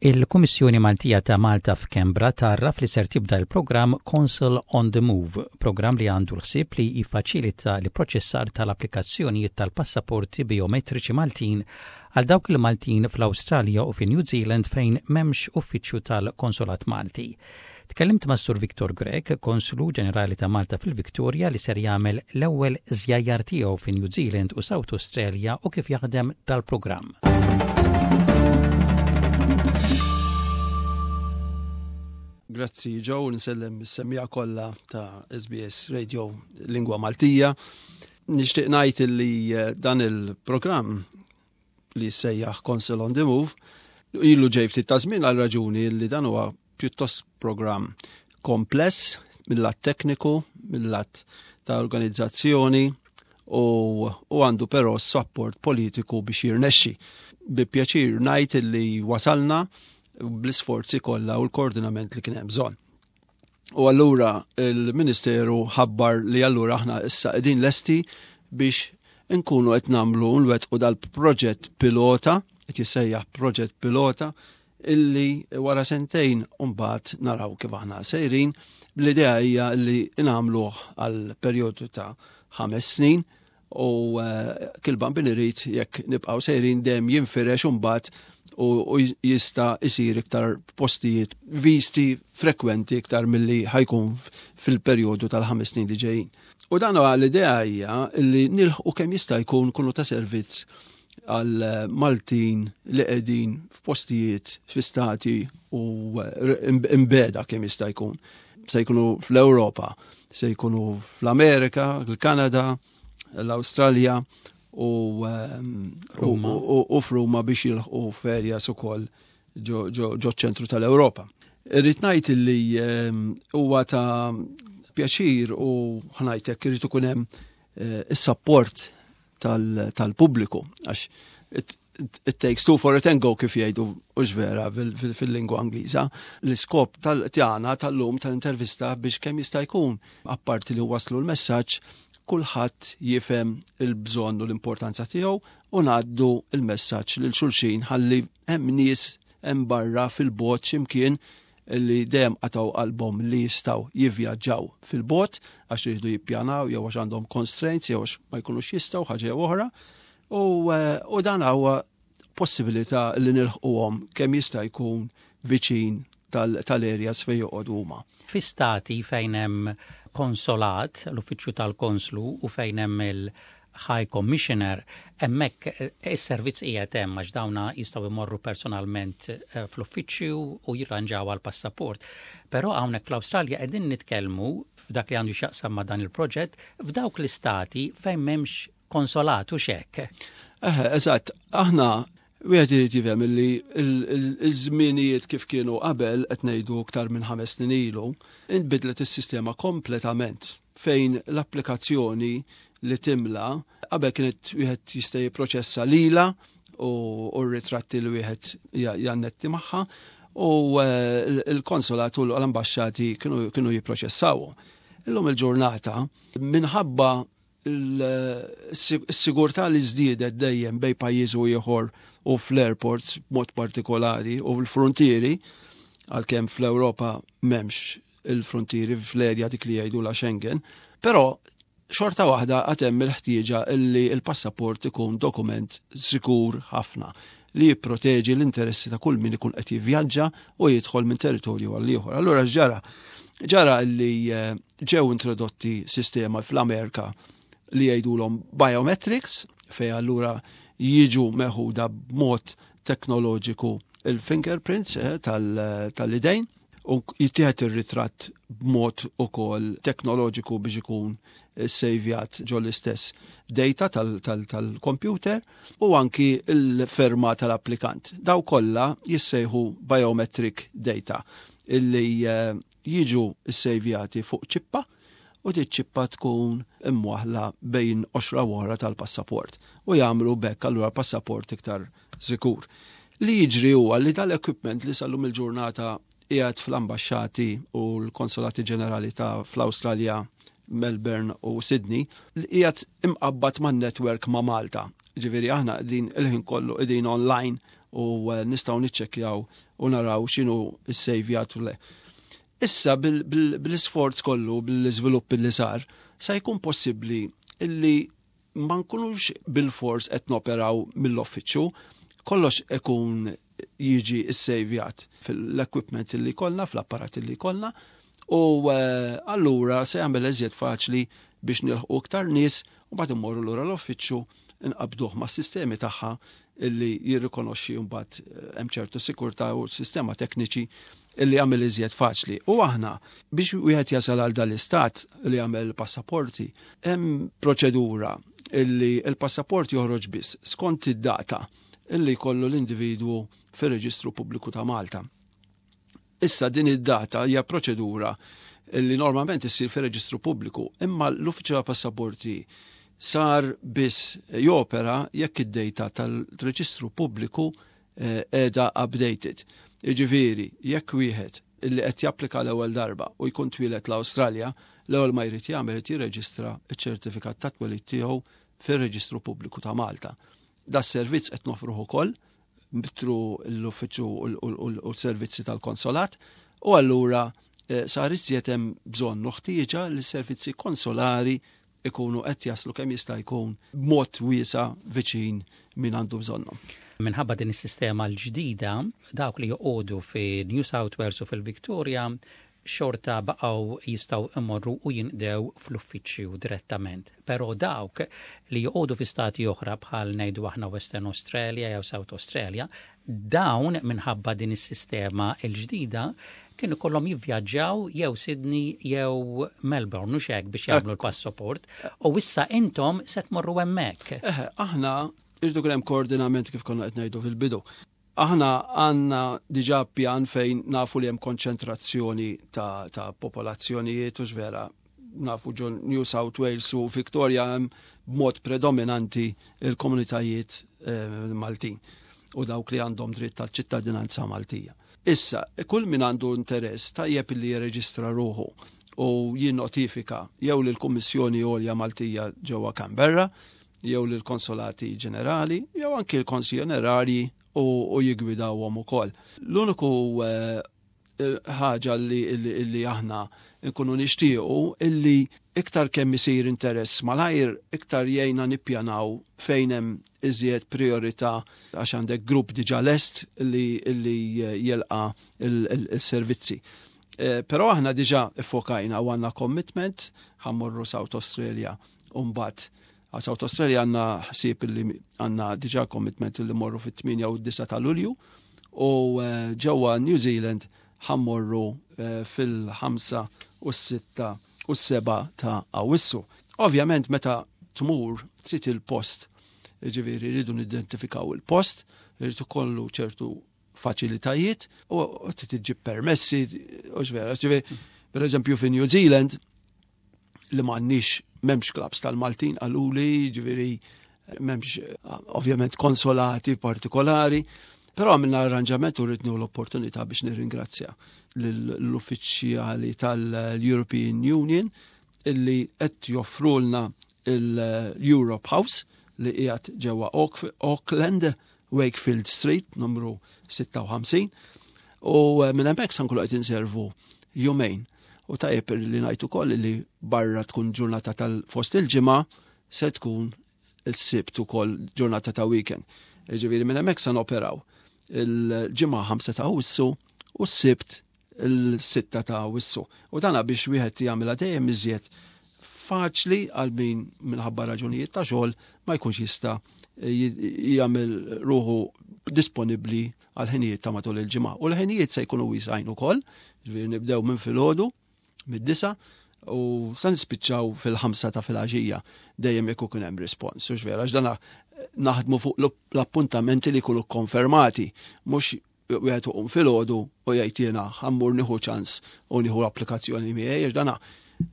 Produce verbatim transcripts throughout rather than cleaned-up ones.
Il-Kummissjoni Maltija ta' Malta f'Canberra tgħarraf li ser tibda l-programm Consul on the Move, programm li għandu l-ħsieb li jiffaċilita l-proċessar tal-applikazzjonijiet tal-passaporti biometriċi Maltin għal dawk il-Maltin fl-Awstralja u fi New Zealand fejn m'hemmx uffiċċju tal-Konsolat Malti. Tkellimt ma' Sur Victor Grech, Konslu Ġenerali ta' Malta fil-Victoria, li ser jagħmel l-ewwel żjajjar tiegħu fi New Zealand u South Australia u kif jaħdem dal-programm. Grazzi Joe, nsellem is-semmiegħa kollha ta' S B S Radio Lingwa Maltija. Nixtieq ngħid li eh, dan il-programm li sejjaħ Consul on the Move ilu ġej ftit ta' żmien għal raġuni li dan huwa pjuttost programm kompless mill-lat tekniku, mill-lat ta' organizzazzjoni u, u għandu però support politiku biex jirnexxi. Bi pjaċir ngħid li wasalna bl-isforzi kollha u l-koordinament li kien hemm bżonn. U allura il-Ministeru ħabbar li allura aħna issa qegħdin lesti biex nkunu qed nagħmlu nwettqu dal-proġett pilota, qed jissejjaħ proġett pilota, illi wara sentejn mbagħad naraw kif aħna sejrin. L-idea hija li nagħmluh għal perjodu ta' ħames snin u eh, kil-Bambin irid, jekk nibqgħu sejrin dejjem jinfirex imbagħad u jista' isir iktar postijiet, visti frekwenti iktar milli ħa jkun fil-perjodu tal-ħames snin li ġejjin. U dan l-idea hija li nilħqu kemm jista' jkun kunu ta' servizz għal Maltin li qegħdin f'postijiet fi stati u imbeda kemm jista' jkun. Se jkunu fl-Ewropa, se jkunu fl-Amerika, l-Kanada, l-Awstralja u, u, u f'Ruma biex jilħqu f'areas ukoll ġo ċentru tal-Ewropa. Irrid ngħid li huwa ta' pjaċir u ħa ngħidlek irid ikun hemm eh, is-support tal-pubbliku għax it, it takes two for a tango, kif jgħidu, u vera fil-lingwa Angliża. L-iskop tal-tjana tal-lum tal-intervista biex kemm jista' jkun, apparti li waslu l-messaġġ, kulħadd jifhem il-bżonn u l-importanza tiegħu u ngħaddu il-messaġġ lil xulxin ħalli hemm nies hemm barra fil-bogħod x'imkien li dejjem qatgħu qalbhom li jistgħu jivvjaġġaw fil-bogħod għax jridu jippjanaw jew għax għandhom constraints jew għax ma jkunux jistgħu ħaġa jew oħra. U, eh, u dan huwa possibilità li nilħquhom kemm jista' jkun viċin tal-areas fejn joqogħdu huma. Fi stati fejn hemm konsolat, l-uffiċċju tal-konslu, u fejn hemm il-High Commissioner, hemmhekk eh, is-servizz qiegħed hemm għax dawna jistgħu jmorru personalment eh, fl-uffiċċju u jirranġaw għal passaport. Però hawnhekk fl-Awstralja qegħdin nitkellmu f'dak li għandu x'jaqsam ma' dan il-proġett f'dawk l-istati fejn m'hemmx konsolat u xek. Eh, eżatt, aħna wieħed irid jifhem li l-żminijiet kif kienu qabel, qed ngħidu aktar minn ħames snin ilu, inbidlet is-sistema kompletament fejn l-applikazzjoni li timla qabel kienet wieħed jista' jipproċessa lila u r-ritratti li wieħed jannetti magħha u eh, l-konsolat u l-ambasċati kienu jipproċessaw. Illum il-ġurnata, minħabba il-sigurtà li żdiedet dejjem bejn pajjiż u ieħor u fl-airports mod partikolari u fil-frontieri, għalkemm fl-Ewropa m'hemmx il-frontieri fl-erja dik li jgħidu la Schengen, però xorta waħda għad hemm il-ħtieġa illi il-passaport ikun dokument sikur ħafna li jipproteġi l-interessi ta' kull min ikun qed jivvjaġġa u jidħol minn territorju għal ieħor. Allura ġara ġara li eh, ġew introdotti sistema fl-Amerika li jgħidulhom biometrics, fej allura jiġu meħuda b'mod teknoloġiku il-fingerprints eh, tal-idejn u jittieħed ir-ritratt b'mod ukoll teknoloġiku biex ikun sejvjat ġo l-istess data tal-computer u anki il-ferma tal-applikant. Daw kollha jissejħu biometric data illi eh, jiġu sejvjati fuq ċippa u di ċippa tkun imwaħla bejn qoxra wara tal-passaport u jagħmlu bekk allura passaport iktar sikur. Li jiġri huwa li tal-equipment li sal-lum il-ġurnata qiegħed fl-ambasċati u l-konsolati ġenerali ta' fl-Awstralja, Melbourne u Sydney, li qiegħed imqabbad man network ma' Malta. Ġifieri aħna din il-ħin kollu qegħdin online. u eh, nistgħu niċċekkjaw u naraw x'inhu ssejvjat u le. Issa bil-isforz kollu, bil-iżvilupp li sar, sa jkun possibbli illi ma nkunux bil-fors qed noperaw mill-uffiċċju, kollox ikun jiġi ssejvjat fil-equipment li kollna, fl-apparat li kollna, u eh, allura se jagħmel eżjed faċli biex nilħqu iktar nies u mbagħad immorru lura l-uffiċċju, nqabduh mas-sistemi tagħha illi jirrikonoxxi mbagħad eh, hemm ċertu sikurtà u sistema tekniċi illi jagħmel iżjed faċli. U aħna biex wieħed jasal għal dal-istat li jagħmel passaporti, hemm proċedura illi il-passaport joħroġ biss skont id-data illi jkollu l-individwu fir-Reġistru Pubbliku ta' Malta. Issa din id-data hija proċedura illi normalment issir fir-Reġistru Pubbliku, imma l-Uffiċċju ta' Passaporti sar biss jopera jekk id-data tal-Reġistru Pubbliku qiegħda updated. Jiġifieri, jekk wieħed illi qed japplika l-ewwel darba u jkun twieled l-Awstralja, l-ewwel ma jrid jagħmel irid jirreġistra ċ-ċertifikat ta' twelid tiegħu fir-Reġistru Pubbliku ta' Malta. Da servizz qed nofruh ukoll through l-uffiċċju u l-servizzi tal-konsolat u allura eh, sar iżjed hemm bżonn u ħtieġa li s-servizzi konsolari ikunu qed jaslu kemm jista' jkun b'mod wiesa' viċin min għandu bżonnhom. Minħabba din is-sistema l-ġdida, dawk li joqogħdu fi New South Wales u fil-Victoria xorta baqgħu jistgħu imorru u jinqdew fl-uffiċċju direttament. Però dawk li joqogħdu fi stati oħra, bħal ngħidu aħna Western Australia jew South Australia, dawn minħabba din is-sistema l-ġdida kienu kollhom jivvjaġġaw jew Sydney jew Melbourne u hekk biex jagħmlu l-passaport u issa intom se tmorru hemmhekk. Eħe, aħna irdu hemm koordinament kif konna qed ngħidu fil-bidu. Aħna għandna diġà pjan fejn nafu li hemm konċentrazzjoni ta', ta popolazzjonijiet u vera nafu ġo New South Wales u Victoria hemm b'mod predominanti il-komunitajiet eh, Maltin u dawk li għandhom dritt tal-ċittadinanza Maltija. Issa, kull min għandu interess tajjeb li jirreġistra ruħu u jinnotifika jew lill-Kummissjoni Għolja Maltija ġewwa Canberra, jew lill-Konsolati Ġenerali, jew anki l-Konsili Onorarji u, u jigwidawhom ukoll. L-uniku eh, ħaġa li, li, li aħna nkunu nixtiequ illi iktar kemm isir interess malajr, iktar jgħinna nippjanaw fejn hemm iżjed priorità, għax għandek grupp diġà lest li, li jilqa il-servizzi. Eh, però aħna diġà iffokajna u għandna commitment ħa mmorru South Australia u mbagħad għal South Australia għandna ħsieb li għandna diġà commitment li morru fit-tmienja u d-disgħa ta' Lulju u eh, ġewwa New Zealand ħa mmorru eh, fil-ħamsa u s-sitta u s-sebgħa ta' Awissu. Ovvjament meta tmur trid il-post, ġifieri rridu nidentifikaw il-post, rridu kollu ċertu faċilitajiet u trid iġġib permessi u ġvera. Ġifieri, per eżempju fi New Zealand li m'għandniex, m'hemmx clubs tal-Maltin għaluli, ġifieri m'hemmx ovvjament konsolati partikolari, però għamilna arranġament u rrid l-opportunità biex nirringrazzja l-uffiċjali tal-European Union illi qed joffrulna il-Europe House li qiegħed ġewwa Auckland, Wakefield Street, numru sitta u ħamsin. U eh, minn hemmhekk sa nkunu qed inservu jumejn. U tajjeb li ngħid ukoll li barra tkun ġurnata tal-fost il-ġimgħa, se tkun il-Sibt ukoll ġurnata ta' weekend. Ġifieri minn hemmhekk sa noperaw il-Ġimgħa ħamsa ta' Awwissu u s-Sibt il-sitta ta' Awwissu. U dana biex wieħed jagħmilha dejjem iżjed faċli għal min minħabba raġunijiet ta' xogħol ma jkunx jista' jagħmel ruħu disponibbli għal ħinijiet ta' matul il-ġimgħa. U l-ħinijiet se jkunu wisgħin ukoll, ġifieri nibdew minn filgħodu mid-disgħa u sa nispiċċaw fil-ħamsa ta' filgħaxija, dejjem jekk ikun hemm rispons. U vera, dana naħdmu fuq l-appuntamenti li jkunu konfermati, mhux wieħed iqum filgħodu u jgħid jiena ħa mmur nieħu ċans u nieħu l-applikazzjoni miegħi, għax dana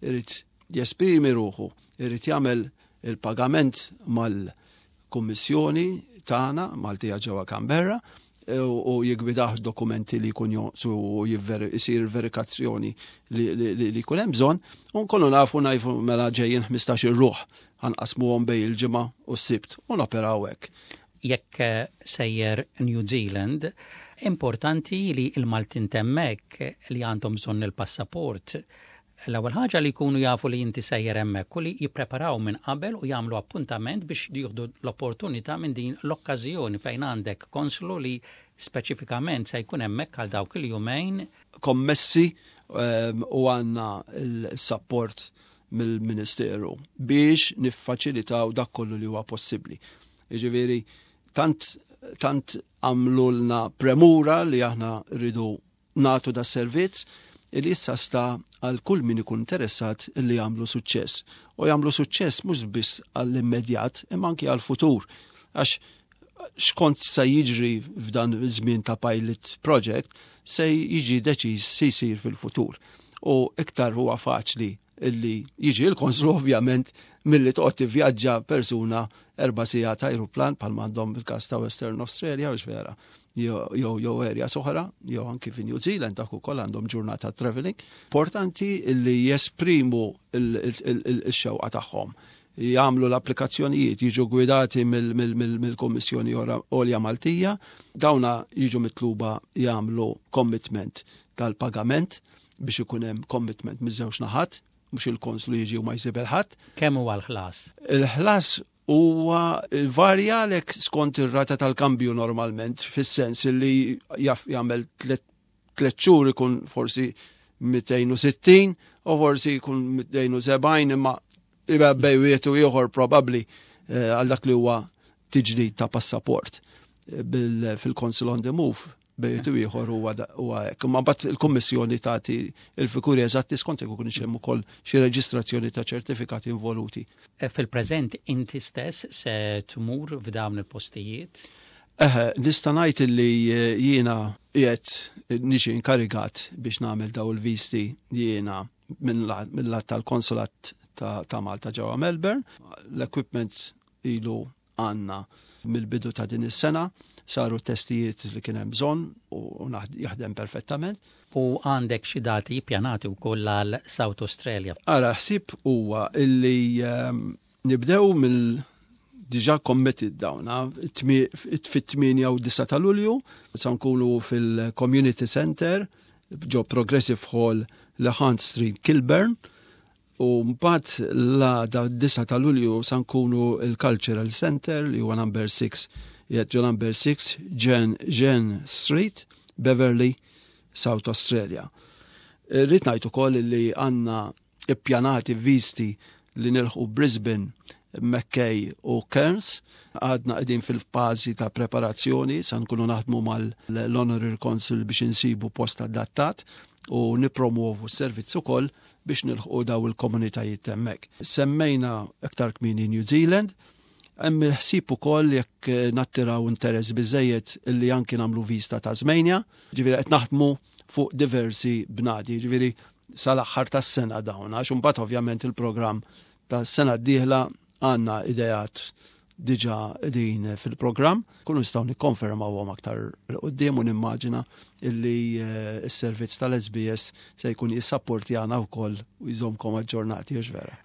irid jesprimi ruħu, irid jagħmel il-pagament mal-kummissjoni tagħna Maltija ġewwa Canberra u jigwidah dokumenti li jkun jonqsu u jisir verifikazzjoni li jkun hemm bżonn, u nkunu nafu najfu mela ġejjin ħmistax-il ruħ, ħa nqassmuhom bejn il-Ġimgħa u s-Sibt u noperaw hekk. Jekk eh, sejjer New Zealand, importanti li il-Maltin t'hemmhekk li għandhom bżonn il-passaport, l-ewwel ħaġa li jkunu jafu li inti sejjer hemmhekk u li jippreparaw minn qabel u jagħmlu appuntament biex jieħdu l-opportunità minn din l-okkażjoni fejn għandek konslu li speċifikament se jkun hemmhekk għal dawk il-jumejn. Kommessi ehm, u għandna l-support mill-Ministeru biex niffaċilitaw dak kollu li huwa possibbli. Jiġifieri tant tant għamlulna premura li aħna rridu nagħtu da servizz li issa sta għal kull min ikun interessat li jagħmlu suċċess. U jagħmlu suċċess mhux biss għall-immedjat imma anki għall-futur. Għax xkont se jiġri f'dan iż-żmien ta' pilot project se jiġi deċiż se jsir fil-futur. U iktar huwa faċli illi jiġi l-konslu, ovvjament, milli toqgħod tivvjaġġa persuna erba' sigħat ta' aeroplan bħal m'għandhom il-każ ta' Western Australia, u vera, jew jew area oħra, jew anki fi New Zealand, dak ukoll għandhom ġurnata traveling. Importanti illi jesprimu il-xewqa tagħhom, jagħmlu l-applikazzjonijiet, jiġu gwidati mill-Kommissjoni Għolja Maltija, dawna jiġu mitluba jagħmlu commitment tal-pagament biex ikun hemm commitment miż-żewġ naħat, mhux il-konslu jiġi u ma jsib ħadd. Kemm huwa l-ħlas? Il-ħlas huwa varja lek skont ir-rata tal-kambju normalment, fis-sens li jaf jagħmel tliet xhur ikun forsi mitejn u sittin u forsi jkun mitejn u sebgħin, imma bejn wieħed u ieħor probabbli eh, għal dak li huwa tiġdid ta' passaport eh, fil-Consul on the Move bejn u ieħor huwa hekk. Imma mbagħad il-Kummissjoni tagħti il-figuri eżatti skont jekk ikun hemm ukoll xi reġistrazzjoni ta' ċertifikati involuti. E, fil-preżent inti stess se tmur f'dawn il-postijiet? Eħe, nista' ngħid li eh, jiena qiegħed niġi inkarigat biex nagħmel daw il-visti jiena mill-lat tal-konsulat ta', ta Malta ġewwa Melbourne. L-equipment ilu għandna mill-bidu ta' din is-sena, saru testijiet li kien hemm bżonn u jaħdem perfettament. U għandek xi dati pjanati wkoll għal South Australia? Ara, ħsieb huwa illi um, nibdew mill diġà committed dawna fit-tmienja u disgħa ta' Lulju, sa nkunu fil-Community Center ġo Progressive Hall, Hunt Street, Kilburn, u mbagħad la da disgħa ta' Lulju sa nkunu il-Cultural Center li huwa number six, ġo number six Jen, Jen Street, Beverly, South Australia. Rrid ngħid ukoll li għandna ippjanati visti li nilħu Brisbane, Mackay u Cairns. Għadna qegħdin fil-fażi ta' preparazzjoni, sa nkunu naħdmu mal-Honorary Consul biex insibu post adattat u nipromuovu s-servizz ukoll biex nilħqu daw il-komunitajiet hemmhekk. Semmejna aktar kmieni New Zealand, hemm il-ħsieb ukoll, jekk nattiraw interess biżejjed, li anki nagħmlu vista Tasmania, ġifieri qed naħdmu fuq diversi bnadi, ġifieri sal-aħħar tas-sena dawn, għax imbagħad ovvjament il-programm tas-sena d-dieħla għandna ideat diġà din fil-programm, kunu nistgħu nikkonfermawhom aktar 'il quddiem u nimmaġina illi eh, s-servizz tal-S B S se jkun jissapportjana wkoll u jżomkom aġġornati, vera.